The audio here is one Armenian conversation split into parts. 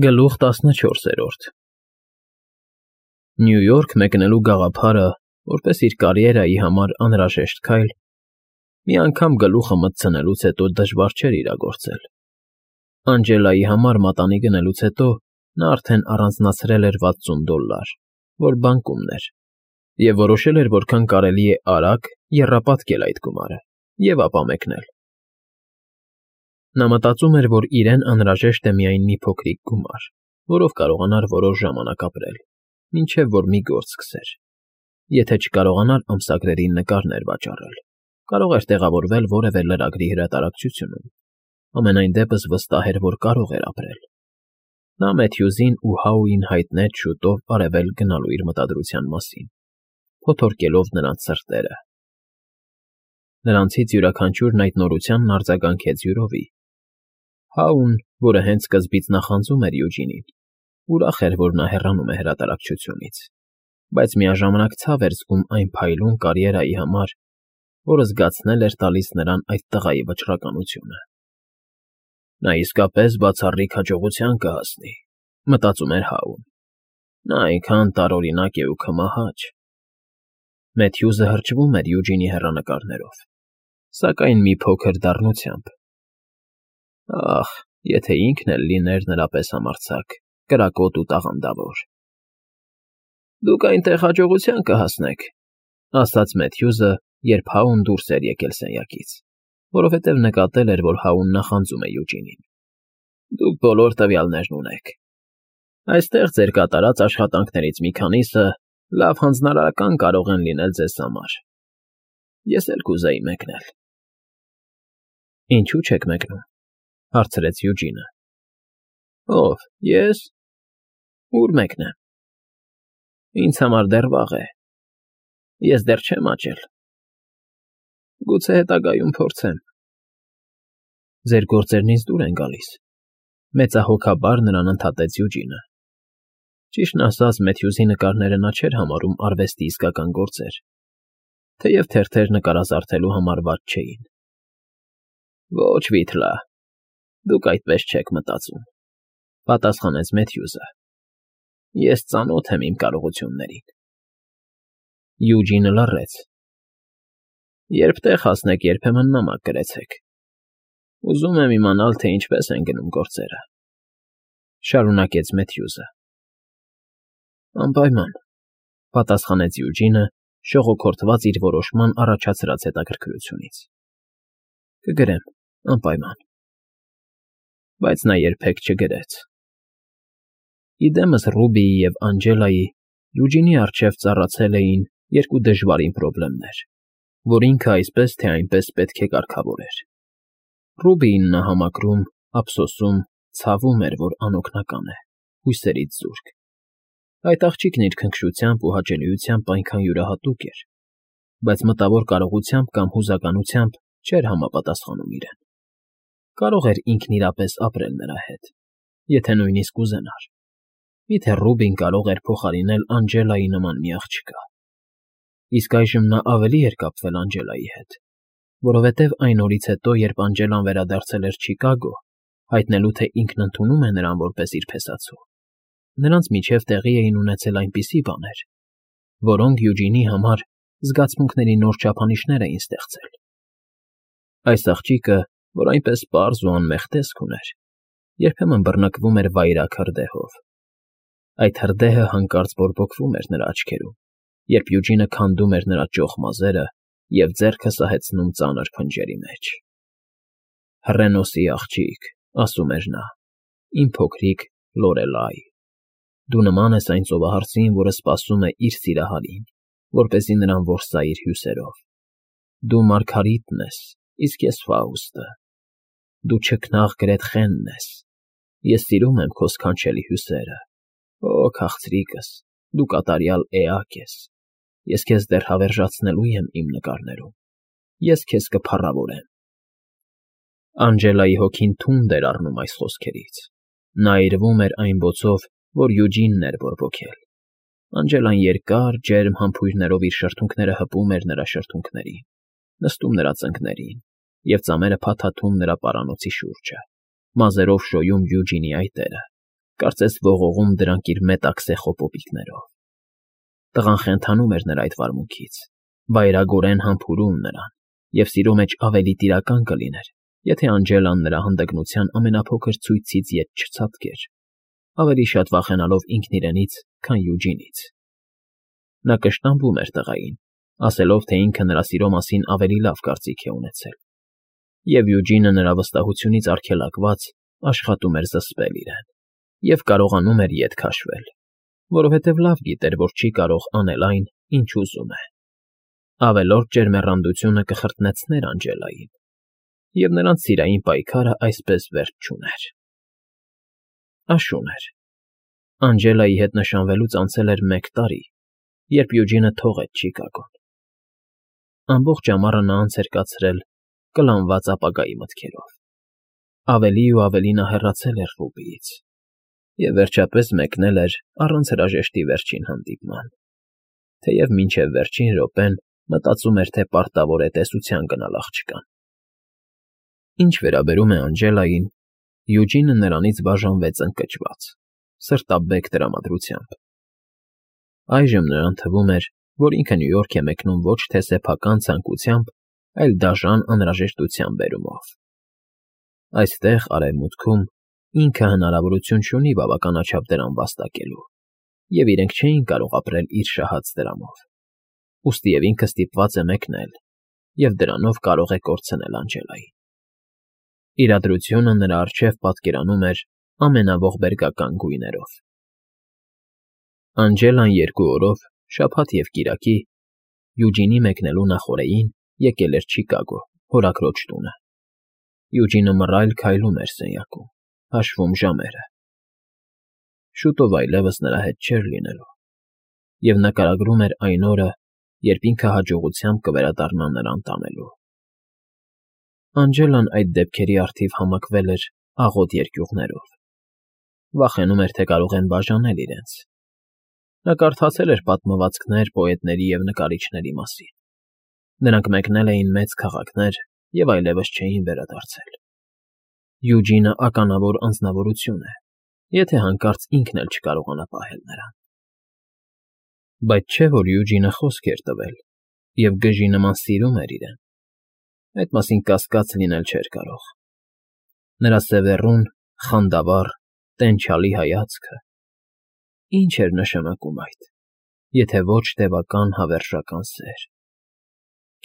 Գլուխ 14 Նյու Յորք մեկնելու գաղափարը, որպես իր կարիերայի համար անհրաժեշտ քայլ, մի անգամ գլուխը մտցնելուց հետո դժվար չէր իրագործել։ Անջելայի համար մատանի գնելուց հետո նա արդեն առանձնացրել էր $60, որ բանկումն էր, և որոշել էր որքան կարելի է արագ եռապատկել այդ գումարը և ապա մեկնել։ Նա մտածում էր, որ իրեն անհրաժեշտ է միայն մի փոքրիկ գումար, որով կարողանար որոշ ժամանակ ապրել, մինչև որ մի գործ սկսեր։ Եթե չկարողանար ամսագրերի նկարներ վաճառել, կարող էր տեղավորվել որևէ լրագրի հրատարակչությունում, ամենայն դեպս վստահ էր, որ կարող էր ապրել։ Նա Մեթյուզին ու Հաուին հայտնեց շուտով արևել գնալու իր մտադրության մասին, փոթորկելով նրանց սրտերը։ Նրանցից յուրաքանչյուրն այդ նորությանն արձագանքեց յուրովի։ Հաուն, որը հենց սկզբից նախանձում էր Յուջինին, ուրախ էր, որ նա հեռանում է հրատարակչությունից, բայց միաժամանակ ցավ էր զգում այն փայլուն կարիերայի համար, որը զգացնել էր տալիս նրան այդ տղայի վճռականությունը։ Նա իսկապես բացառիկ հաջողության կհասնի, մտածում էր Հաուն։ Նա այնքան տարօրինակ է ու քմահաճ։ Մեթյուզը հրճվում էր Յուջինի հեռանկարներով, սակայն մի փոքր դառնությամբ։ Ախ, եթե ինքն էլ լիներ նրա պես համարձակ, կրակոտ ու տաղանդավոր։ Դուք այնտեղ հաջողության կհասնեք, ասաց Մեթյուզը, երբ Հաուն դուրս էր եկել սենյակից, որովհետև նկատել էր, որ Հաուն նախանձում է Յուջինին։ Դուք բոլոր տվյալներն ունեք։ Այստեղ ձեր կատարած աշխատանքներից մի քանիսը լավ հանձնարարական կարող են լինել ձեզ համար։ Ես էլ կուզեի մեկնել։ Ինչու՞ չեք մեկնում, հարցրեց Յուջինը։ Ով, ես։ Ուր մեկնեմ։ Ինձ համար դեռ վաղ է։ Ես դեռ չեմ աճել։ Գուցե հետագայում փորձեմ։ Ձեր գործերն ինձ դուր են գալիս, մեծահոգաբար նրան ընդհատեց Յուջինը։ Ճիշտն ասած, Մեթյուզի նկարները նա չէր համարում արվեստի իսկական գործեր, թեև թերթեր նկարազարդելու համար վատ չէին։ Ոչ, Վիթլա, դուք այդպես չեք մտածում, պատասխանեց Մեթյուզը։ Ես ծանոթ եմ իմ կարողություններին։ Յուջինը լռեց։ Երբ տեղ հասնեք, երբեմն նամակ գրեցեք։ Ուզում եմ իմանալ, թե ինչպես են գնում գործերը, շարունակեց Մեթյուզը։ Անպայման, պատասխանեց Յուջինը, շողոքորթված իր որոշման առաջացրած հետաքրքրությունից։ Կգրեմ, անպայման։ Բայց նա երբեք չգրեց։ Իդեմս Ռուբիի և Անջելայի Յուջինի առջև ծառացել էին երկու դժվարին խնդիրներ, որ ինքը այսպես թե այնպես պետք է կարգավորեր։ Ռուբիին նա համակրում, ափսոսում, ցավում էր, որ անօգնական է, հույսերից զուրկ։ Այդ աղջիկն իր քնքշությամբ ու հաճելիությամբ այնքան յուրահատուկ էր, բայց մտավոր կարողությամբ կամ հուզականությամբ չէր համապատասխանում իրեն։ Կարող էր ինքն իրապես ապրել նրա հետ, եթե նույնիսկ ուզենար։ Միթե Ռուբին կարող էր փոխարինել Անջելայի նման մի աղջկա։ Իսկ այժմ նա ավելի էր կապվել Անջելայի հետ, որովհետև այն օրից հետո, երբ Անջելան վերադարձել էր Չիկագո, հայտնելու, թե ինքն ընդունում է նրան որպես իր փեսացու, նրանց միջև տեղի էին ունեցել այնպիսի բաներ, որոնք Յուջինի համար զգացմունքների նոր չափանիշներ էին ստեղծել։ Այս աղջիկը, որ այնպես պարզ ու անմեղ տեսք ուներ, երբեմն բռնկվում էր վայրագ հրդեհով։ Այդ հրդեհը հանկարծ բորբոքվում էր նրա աչքերում, երբ Յուջինը քանդում էր նրա ճոխ մազերը և ձեռքը սահեցնում ծանր փնջերի մեջ։ Հռենոսի աղջիկ, ասում էր նա, իմ փոքրիկ Լորելայ, դու նման ես այն ծովահարսին, որը սպասում է իր սիրահարին, որպեսզի նրան որսա իր հյուսերով։ Դու Մարգարիտն ես, իսկ ես Ֆաուստը։ Դու չքնաղ Գրետխենն ես։ Ես սիրում եմ քո սքանչելի հյուսերը։ Օ, քաղցրիկս, դու կատարյալ էակ ես։ Ես քեզ դեռ հավերժացնելու եմ իմ նկարներում։ Ես քեզ կփառավորեմ։ Անջելայի հոգին թունդ էր առնում այս խոսքերից։ Նա այրվում էր այն բոցով, որ Յուջինն էր բորբոքել։ Անջելան երկար, ջերմ համբույրներով իր շրթունքները հպում էր նրա շրթունքներին, նստում նրա ծնկներին և ծամերը փաթաթում նրա պարանոցի շուրջը, մազերով շոյում Յուջինի այտերը, կարծես ողողում դրանք իր մետաքսե խոպոպիկներով։ Տղան խենթանում էր նրա այդ վարմունքից, վայրագորեն համբուրում նրան, և սիրո մեջ ավելի տիրական կլիներ, եթե Անջելան նրա հանդգնության ամենափոքր ցույցից ետ չցատկեր, ավելի շատ վախենալով ինքն իրենից, քան Յուջինից։ Նա կշտամբում էր տղային, ասելով, թե ինքը նրա սիրո մասին ավելի լավ կարծիք է ունեցել, և Յուջինը նրա վստահությունից արգելակված աշխատում էր զսպել իրեն և կարողանում էր ետ քաշվել, որովհետև լավ գիտեր, որ չի կարող անել այն, ինչ ուզում է։ Ավելորդ ջերմեռանդությունը կխրտնեցներ Անջելային, և նրանց սիրային պայքարը այսպես վերջ չուներ։ Աշուն էր։ Անջելայի հետ նշանվելուց անցել էր 1 տարի, երբ Յուջինը թողեց Չիկագոն։ Ամբողջ ամառը նա անց էր կացրել կլանված ապագայի մտքերով։ Ավելի ու ավելի նա հեռացել էր Ռուբիից և վերջապես մեկնել էր առանց հրաժեշտի վերջին հանդիպման, թեև մինչև վերջին րոպեն մտածում էր, թե պարտավոր է տեսության գնալ աղջկան։ Ինչ վերաբերում է Անջելային, Յուջինը նրանից բաժանվեց ընկճված, սրտաբեկ տրամադրությամբ։ Այժմ նրան թվում էր, որ ինքը Նյու Յորք է մեկնում ոչ թե սեփական ցանկությամբ, այլ դաժան անհրաժեշտության բերումով։ Այստեղ, Արևմուտքում, ինքը հնարավորություն չունի բավականաչափ դրամ վաստակելու, և իրենք չէին կարող ապրել իր շահած դրամով։ Ուստի և ինքը ստիպված է մեկնել, և դրանով կարող է կորցնել Անջելային։ Իրադրությունը նրա առջև պատկերանում էր ամենաողբերգական գույներով։ Անջելան 2 օրով, շաբաթ և կիրակի, Յուջինի մեկնելու նախօրեին եկել էր Չիկագո, հորաքրոջ տունը։ Յուջինը մռայլ քայլում էր սենյակում, հաշվում ժամերը։ Շուտով այլևս նրա հետ չէր լինելու, և նկարագրում էր այն օրը, երբ ինքը հաջողությամբ կվերադառնա նրան տանելու։ Անջելան այդ դեպքերի առթիվ համակվել էր աղոտ երկյուղներով։ Վախենում էր, թե կարող են բաժանել իրենց։ Նա կարդացել էր պատմվածքներ պոետների և նկարիչների մասին։ Նրանք մեկնել էին մեծ քաղաքներ և այլևս չէին վերադարձել։ Յուջինը ականավոր անձնավորություն է, եթե հանկարծ ինքն էլ չկարողանա պահել նրան։ Բայց չէ՞ որ Յուջինը խոսք էր տվել և գժի նման սիրում էր իրեն։ Այդ մասին կասկած լինել չէր կարող։ Նրա սևեռուն, խանդավառ, տենչալի հայացքը… Ինչ էր նշանակում այդ, եթե ոչ տևական հավերժական սեր։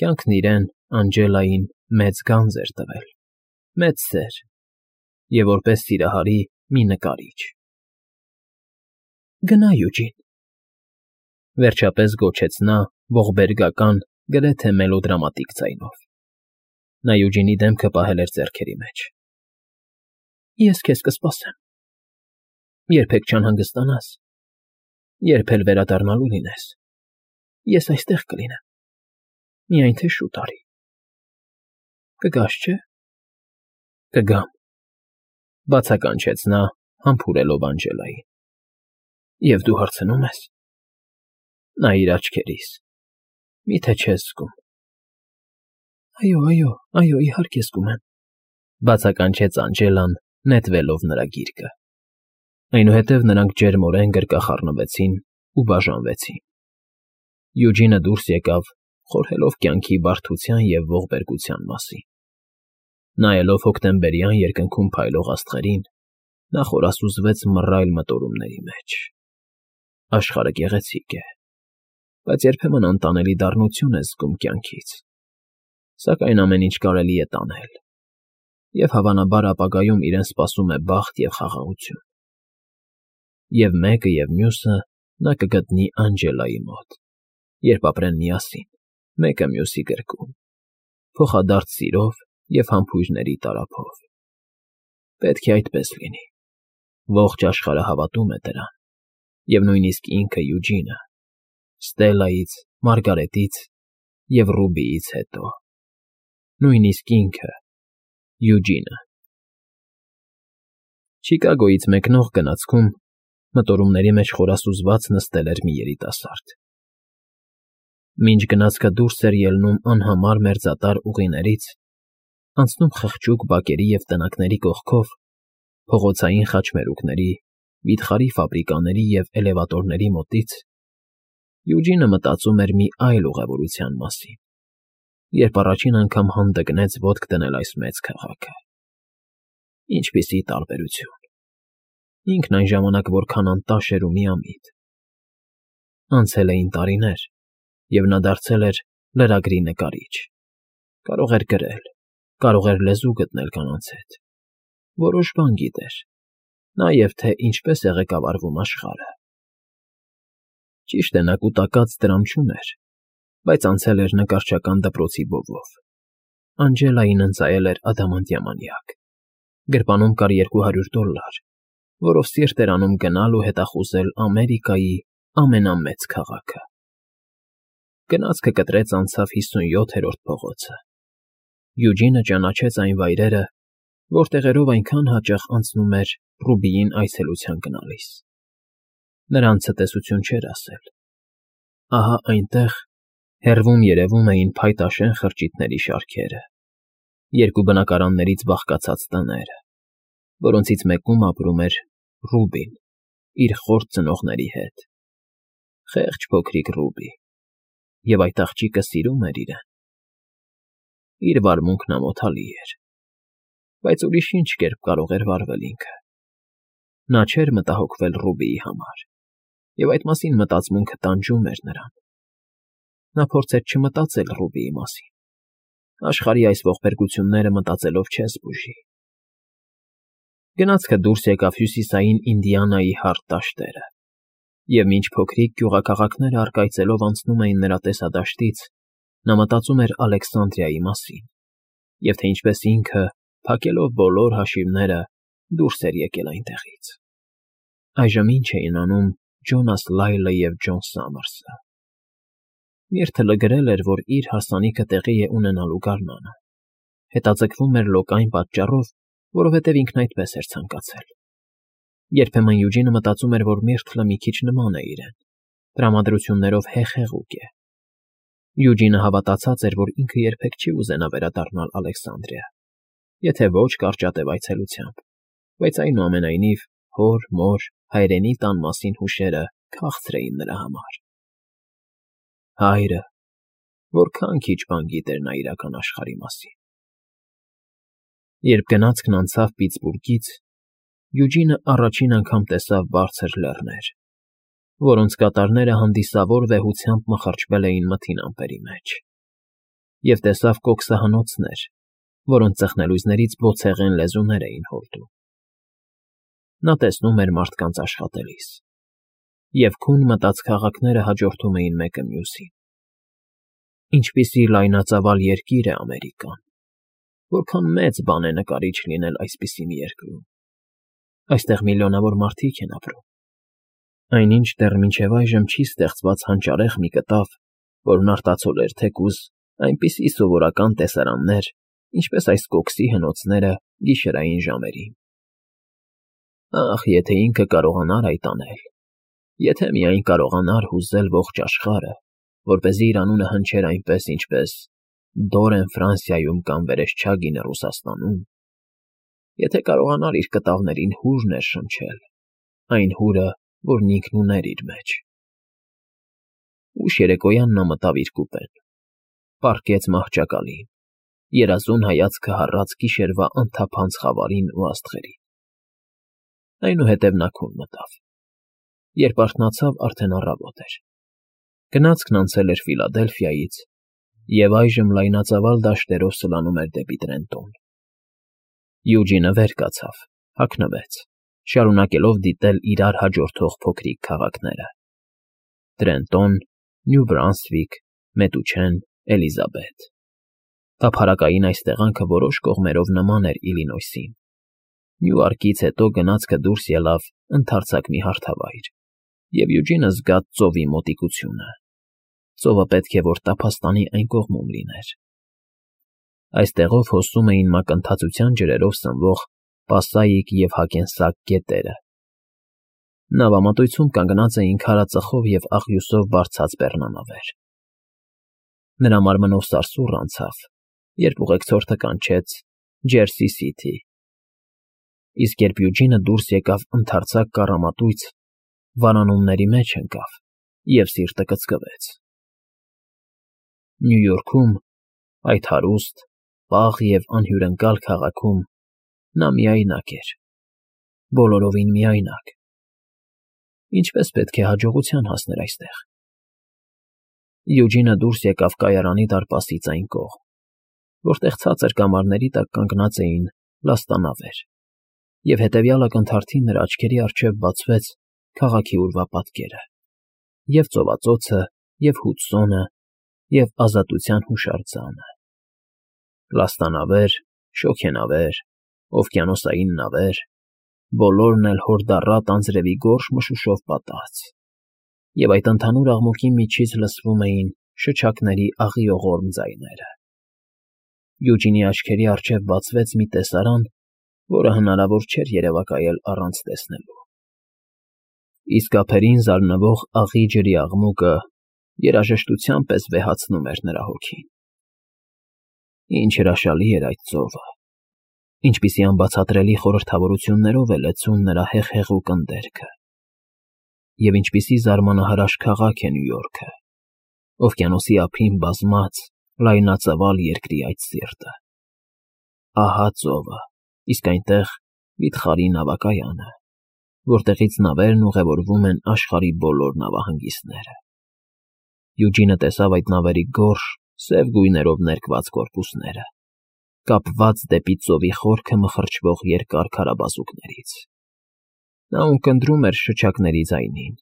Կյանքն իրեն, Անջելային, մեծ գանձ էր տվել, մեծ սեր և որպես սիրահարի մի նկարիչ։ Գնա, Յուջին, վերջապես գոչեց նա ողբերգական, գրեթե մելոդրամատիկ ձայնով։ Նա Յուջինի դեմքը պահել էր ձեռքերի մեջ։ Ես քեզ կսպասեմ։ Երբեք չանհանգստանաս, երբ էլ վերադառնալու լինես, ես այստեղ կլինեմ, միայն թե շուտ արի։ Կգաս, չէ՞։ Կգամ, բացականչեց նա, համբուրելով Անջելային։ Եվ դու հարցնո՞ւմ ես։ Նայիր աչքերիս, մի՞թե չես զգում։ Այո, իհարկե զգում եմ, բացականչեց Անջելան, նետվելով նրա գիրկը։ Այնուհետև նրանք ջերմորեն գրկախառնվեցին ու բաժանվեցին։ Յուջինը դուրս եկավ, խորհելով կյանքի բարդության և ողբերգության մասին։ Նայելով հոկտեմբերյան երկնքում փայլող աստղերին, նա խորասուզվեց մռայլ մտորումների մեջ։ Աշխարհը գեղեցիկ է, բայց երբեմն անտանելի դառնություն ես զգում կյանքից, սակայն ամեն ինչ կարելի է տանել, և հավանաբար ապագայում իրեն սպասում է բախտ և խաղաղություն։ Եվ մեկը և մյուսը նա կգտնի Անջելայի մոտ, երբ ապրեն միասին, մեկը մյուսի գրկում, փոխադարձ սիրով և համբույրների տարափով։ Պետք է այդպես լինի։ Ողջ աշխարհը հավատում է դրան, և նույնիսկ ինքը Յուջինը, Ստելլայից, Մարգարետից և Ռուբիից հետո։ Նույնիսկ ինքը՝ Յուջինը։ Չիկագոյից մեկնող գնացքում մտորումների մեջ խորասուզված նստել էր մի երիտասարդ։ Մինչ գնացքը դուրս էր ելնում անհամար մերձատար ուղիներից, անցնում խղճուկ բակերի և տնակների կողքով, փողոցային խաչմերուկների վիթխարի ֆաբրիկաների և էլևատորների մոտից, Յուջինը մտածում էր մի այլ ուղևորության մասին, երբ առաջին անգամ հանդգնեց ոտք դնել այս մեծ քաղաքը։ Ինչպիսի տարբերություն… Ինքն այն ժամանակ որքան անտաշ էր ու միամիտ։ Անցել էին տարիներ, և նա դարձել էր լրագրի նկարիչ, կարող էր գրել, կարող էր լեզու գտնել կանանց հետ, որոշ բան գիտեր, նաև թե ինչպես է ղեկավարվում աշխարհը։ Ճիշտ է, նա կուտակած դրամ չուներ, բայց անցել էր նկարչական դպրոցի բովով։ Անջելային ընծայել էր ադամանդյա մանյակ, գրպանում կար $200, որով սիրտ էր անում գնալ ու հետախուզել Ամերիկայի ամենամեծ քաղաքը։ Գնացքը կտրեց անցավ 57-րդ փողոցը։ Յուջինը ճանաչեց այն վայրերը, որտեղերով այնքան հաճախ անցնում էր Ռուբիին այցելության գնալիս։ Նրան ցտեսություն չէր ասել։ Ահա այնտեղ, հեռվում երևում էին փայտաշեն խրճիթների շարքերը, երկու բնակարաններից բաղկացած տները, որոնցից մեկում ապրում էր Ռուբին իր խորթ ծնողների հետ։ Խեղճ փոքրիկ Ռուբի, և այդ աղջիկը սիրում էր իրեն։ Իր վարմունքն ամոթալի էր, բայց ուրիշ ինչ կերպ կարող էր վարվել ինքը։ Նա չէր մտահոգվել Ռուբիի համար, և այդ մասին մտածմունքը տանջում էր նրան։ Նա փորձեց չմտածել Ռուբիի մասին։ Աշխարհի այս ողբերգությունները մտածելով չես բուժի։ Գնացքը դուրս եկավ հյուսիսային Ինդիանայի հարթ դաշտերը, և մինչ փոքրիկ գյուղաքաղաքները առկայծելով անցնում էին նրա տեսադաշտից, նա մտածում էր Ալեքսանդրիայի մասին, և թե ինչպես ինքը, փակելով բոլոր հաշիվները, դուրս էր եկել այնտեղից։ Այժմ ինչ էին անում Ջոնաս Լայլը և Ջոն Սամարսը։ Միրթը լգրել էր, որ իր հարսանիքը տեղի է ունենալու գարնանը։ Հետաձգվում էր լոկային պատճառով, որովհետև ինքն այդպես էր ցանկացել։ Երբեմն Յուջինը մտածում էր, որ Միրթլը մի քիչ նման է իրեն, տրամադրություններով հեխեղուկ է։ Յուջինը հավատացած էր, որ ինքը երբեք չի ուզենա վերադառնալ Ալեքսանդրիա, եթե ոչ կարճատև այցելությամբ, բայց այնուամենայնիվ հոր, մոր, հայրենի տան մասին հուշերը քաղցր էին նրա համար։ Հայրը… որքան քիչ բան գիտեր նա իրական աշխարհի մասին։ Երբ գնացքն անցավ Պիտսբուրգից, Յուջինը առաջին անգամ տեսավ բարձր լեռներ, որոնց կատարները հանդիսավոր վեհությամբ մխրճվել էին մթին ամպերի մեջ, և տեսավ կոքսահնոցներ, որոնց ծխնելույզներից բոցեղեն լեզուներ էին հորդում։ Նա տեսնում էր մարդկանց աշխատելիս, և քուն մտած քաղաքները հաջորդում էին մեկը մյուսին։ Ինչպիսի լայնածավալ երկիր է Ամերիկան, որքան մեծ բան է նկարիչ լինել այսպիսի մի երկրում։ Այստեղ միլիոնավոր մարդիկ են ապրում։ Այնինչ դեռ մինչև այժմ չի ստեղծված հանճարեղ մի կտավ, որն արտացոլեր թեկուզ այնպիսի սովորական տեսարաններ, ինչպես այս կոքսի հնոցները գիշերային ժամերին։ Ախ, եթե ինքը կարողանար այդ անել, եթե միայն կարողանար հուզել ողջ աշխարհը, որպեսզի իր անունը հնչեր այնպես, ինչպես Դորեն Ֆրանսիայում կամ Վերեսչագինը Ռուսաստանում, եթե կարողանար իր կտավներին հուր ներշնչել, այն հուրը, որն ինքն ուներ իր մեջ։ Ուշ երեկոյան նա մտավ իր կուպեն, պառկեց մահճակալին, երազուն հայացքը հառած գիշերվա անթափանց խավարին ու աստղերին։ Այնուհետև նա քուն մտավ։ Երբ արթնացավ, արդեն առավոտ էր։ Գնացքն անցել էր Ֆիլադելֆիայից և այժմ լայնածավալ դաշտերով սլանում էր դեպի Տրենտոն։ Յուջինը վեր կացավ, հագնվեց, շարունակելով դիտել իրար հաջորդող փոքրիկ քաղաքները. Տրենտոն, Նյու Բրանսվիկ, Մետուչեն, Էլիզաբեթ։ Տափարակային այս տեղանքը որոշ կողմերով նման էր Իլինոյսին։ Նյուարկից հետո գնացքը դուրս ելավ ընդարձակ մի հարթավայր, և Յուջինը զգաց ծովի մոտիկությունը։ Ծովը պետք է որ տափաստանի այն կողմում լիներ։ Այստեղով հոսում էին մակընթացության ջրերով սնվող Պասայիկ և Հակենսակ գետերը։ Նավամատույցում կանգնած էին քարածխով և աղյուսով բարձած բեռնանավեր։ Նրա մարմնով սարսուռ անցավ, երբ ուղեկցորդը կանչեց Ջերսի Սիթի։ Իսկ երբ Յուջինը դուրս եկավ ընդարձակ կառամատույց, վանանումների մեջ ընկավ և սիրտը կծկվեց։ Նյու Յորքում, այդ հարուստ, պաղ և անհյուրընկալ քաղաքում նա միայնակ էր, բոլորովին միայնակ։ Ինչպես պետք է հաջողության հասներ այստեղ։ Յուջինը դուրս եկավ կայարանի դարպասից այն կողմ, որտեղ ցածր կամարների տակ կանգնած էին լաստանավեր, և հետևյալ ակնթարթին նրա աչքերի առջև բացվեց քաղաքի ուրվապատկերը, և ծովածոցը, և Հուդսոնը, և ազատության հուշարձանը։ Լաստանավեր, շոգենավեր, օվկիանոսային նավեր, բոլորն էլ հորդառատ անձրևի գորշ մշուշով պատած, և այդ ընդհանուր աղմուկի միջից լսվում էին շչակների աղիողորմ ձայները։ Յուջինի աչքերի առջև բացվեց մի տեսարան, որը հնարավոր չէր երևակայել առանց տեսնելու։ Իսկ ափերին զարնվող աղի ջրի աղմուկը երաժշտության պես վեհացնում էր նրա հոգին։ Ինչ հրաշալի էր այդ ծովը, ինչպիսի անբացատրելի խորհրդավորություններով է լեցուն նրա հեղհեղուկ ընդերքը, և ինչպիսի զարմանահրաշ քաղաք է Նյու Յորքը, օվկիանոսի ափին բազմած լայնածավալ երկրի այդ սիրտը։ Ահա ծովը, իսկ այնտեղ վիթխարի նավակայանը, որտեղից նավերն ուղևորվում են աշխարհի բոլոր նավահանգիստները։ Յուջինը տեսավ այդ նավերի գորշ, սև գույներով ներկված կորպուսները, կապված դեպի ծովի խորքը մխրճվող երկար քարաբազուկներից։ Նա ունկնդրում էր շչակների ձայնին,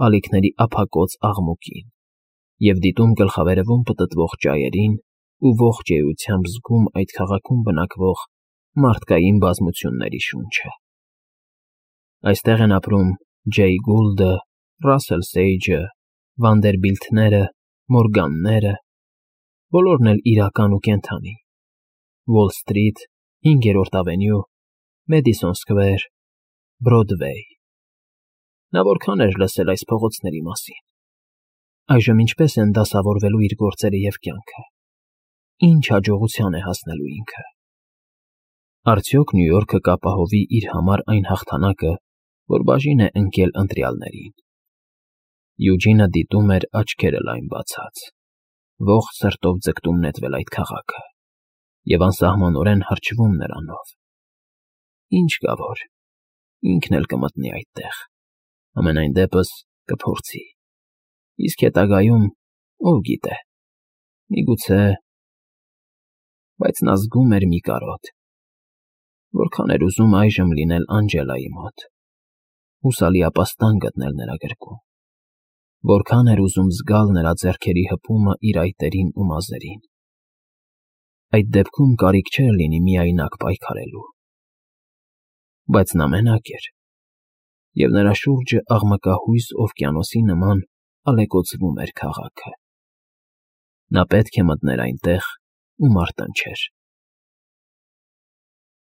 ալիքների ափակոծ աղմուկին և դիտում գլխավերևում պտտվող ճայերին ու ողջ էությամբ զգում այդ քաղաքում բնակվող մարդկային բազմությունների շունչը։ Այստեղ են ապրում Ջեյ Գուլդը, Ռասել Սեյջը, Վանդերբիլթները, Մորգանները, բոլորն էլ իրական ու կենդանի, Ուոլ Սթրիթ, 5-րդ ավենյու, Մեդիսոն Սքվեր, Բրոդվեյ։ Նա որքան էր լսել այս փողոցների մասին։ Այժմ ինչպես են դասավորվելու իր գործերը և կյանքը։ Ինչ հաջողության է հասնելու ինքը։ Արդյոք Նյու Յորքը կապահովի իր համար այն հաղթանակը, որ բաժին է ընկել ընտրյալներին։ Յուջինը դիտում էր աչքերը լայն բացած, ողջ սրտով ձգտում նետվել այդ քաղաքը և անսահմանորեն հրճվում նրանով։ Ինչ կա որ, ինքն էլ կմտնի այդտեղ, համենայն դեպս կփորձի։ Իսկ հետագայում, ով գիտե, միգուցե… Բայց նա զգում էր մի կարոտ։ Որքան էր ուզում այժմ լինել Անջելայի մոտ, հուսալի ապաստան գտնել նրա գրկում։ Որքան էր ուզում զգալ նրա ձեռքերի հպումը իր այտերին ու մազերին։ Այդ դեպքում կարիք չէր լինի միայնակ պայքարելու։ Բայց նա մենակ էր, և նրա շուրջը աղմկահույս օվկիանոսի նման ալեկոծվում էր քաղաքը։ Նա պետք է մտներ այնտեղ ու մարտնչեր։